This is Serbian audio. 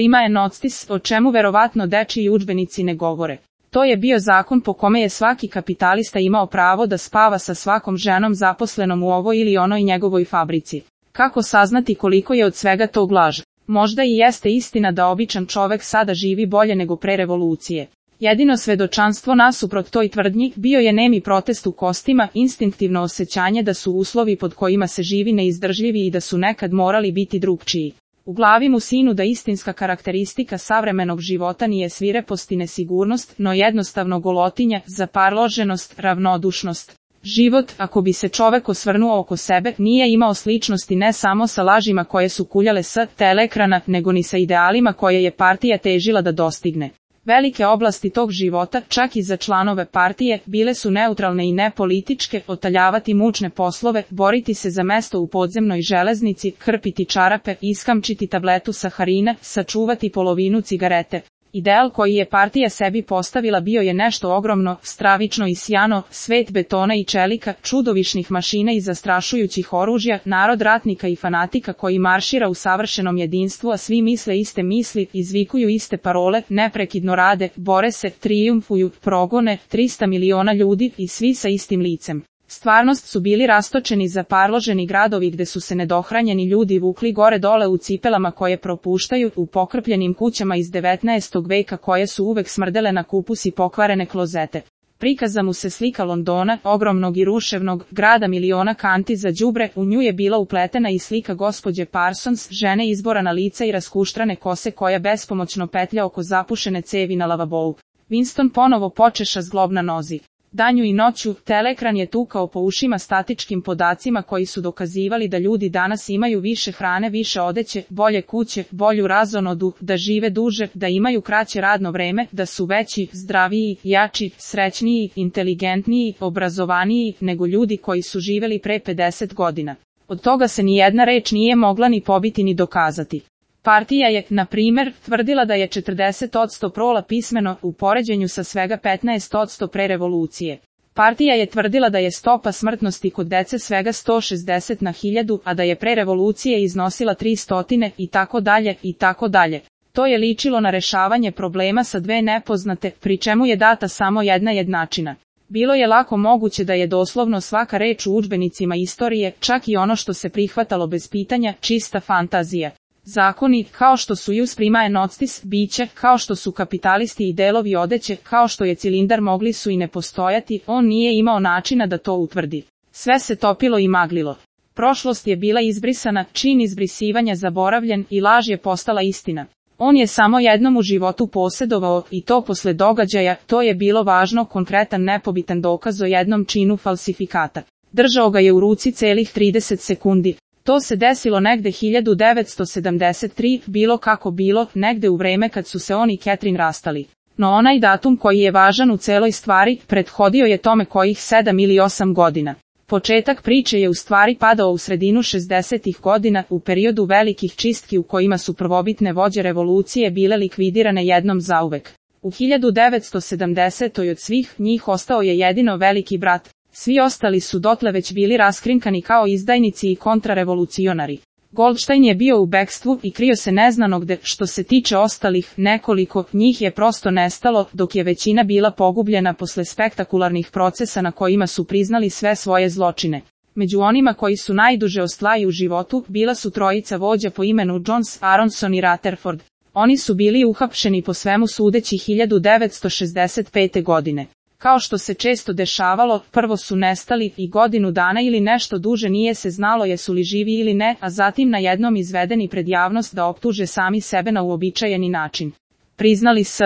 prima noctis, o čemu verovatno dečiji udžbenici ne govore. To je bio zakon po kome je svaki kapitalista imao pravo da spava sa svakom ženom zaposlenom u ovoj ili onoj njegovoj fabrici. Kako saznati koliko je od svega tog laž? Možda i jeste istina da običan čovek sada živi bolje nego pre revolucije. Jedino svedočanstvo nasuprot toj tvrdnji bio je nemi protest u kostima, instinktivno osjećanje da su uslovi pod kojima se živi neizdržljivi i da su nekad morali biti drugčiji. U glavi mu sinu da istinska karakteristika savremenog života nije svirepost i nesigurnost, no jednostavno golotinja, zaparloženost, ravnodušnost. Život, ako bi se čovek osvrnuo oko sebe, nije imao sličnosti ne samo sa lažima koje su kuljale s teleekrana, nego ni sa idealima koje je partija težila da dostigne. Velike oblasti tog života, čak i za članove partije, bile su neutralne i nepolitičke, otaljavati mučne poslove, boriti se za mesto u podzemnoj železnici, krpiti čarape, iskamčiti tabletu saharina, sačuvati polovinu cigarete. Ideal koji je partija sebi postavila bio je nešto ogromno, stravično i sjano, svet betona i čelika, čudovišnih mašina i zastrašujućih oružja, narod ratnika i fanatika koji maršira u savršenom jedinstvu, a svi misle iste misli, izvikuju iste parole, neprekidno rade, bore se, trijumfuju, progone, 300 miliona ljudi i svi sa istim licem. Stvarnost su bili rastočeni zaparloženi gradovi gde su se nedohranjeni ljudi vukli gore dole u cipelama koje propuštaju, u pokrpljenim kućama iz 19. veka koje su uvek smrdele na kupus i pokvarene klozete. Prikaza mu se slika Londona, ogromnog i ruševnog, grada miliona kanti za đubre, u nju je bila upletena i slika gospođe Parsons, žene izborana lica i raskuštrane kose koja bespomoćno petlja oko zapušene cevi na lavabou. Winston ponovo počeša zglob na nozi. Danju i noću, teleekran je tukao po ušima statičkim podacima koji su dokazivali da ljudi danas imaju više hrane, više odeće, bolje kuće, bolju razonodu, da žive duže, da imaju kraće radno vreme, da su veći, zdraviji, jači, srećniji, inteligentniji, obrazovaniji nego ljudi koji su živeli pre 50 godina. Od toga se ni jedna reč nije mogla ni pobiti ni dokazati. Partija je, na primer, tvrdila da je 40% prola pismeno u poređenju sa svega 15% pre revolucije. Partija je tvrdila da je stopa smrtnosti kod dece svega 160 na 1000, a da je pre revolucije iznosila 300 i tako dalje i tako dalje. To je ličilo na rešavanje problema sa dve nepoznate, pri čemu je data samo jedna jednačina. Bilo je lako moguće da je doslovno svaka reč u udžbenicima istorije, čak i ono što se prihvatalo bez pitanja, čista fantazija. Zakoni, kao što su jus prima noctis, biće, kao što su kapitalisti i delovi odeće, kao što je cilindar mogli su i ne postojati, on nije imao načina da to utvrdi. Sve se topilo i maglilo. Prošlost je bila izbrisana, čin izbrisivanja zaboravljen i laž je postala istina. On je samo jednom u životu posjedovao, i to posle događaja, to je bilo važno, konkretan nepobitan dokaz o jednom činu falsifikata. Držao ga je u ruci celih 30 sekundi. To se desilo negde 1973, bilo kako bilo, negde u vreme kad su se on i Catherine rastali. No onaj datum koji je važan u celoj stvari, prethodio je tome kojih 7 ili 8 godina. Početak priče je u stvari padao u sredinu 60-ih godina, u periodu velikih čistki u kojima su prvobitne vođe revolucije bile likvidirane jednom zauvek. U 1970. od svih njih ostao je jedino veliki brat. Svi ostali su dotle već bili raskrinkani kao izdajnici i kontrarevolucionari. Goldstein je bio u bekstvu i krio se neznano gde, što se tiče ostalih, nekoliko njih je prosto nestalo, dok je većina bila pogubljena posle spektakularnih procesa na kojima su priznali sve svoje zločine. Među onima koji su najduže ostali u životu, bila su trojica vođa po imenu Jones, Aronson i Rutherford. Oni su bili uhapšeni po svemu sudeći 1965. godine. Kao što se često dešavalo, prvo su nestali i godinu dana ili nešto duže nije se znalo jesu li živi ili ne, a zatim na jednom izvedeni pred javnost da optuže sami sebe na uobičajeni način. Priznali s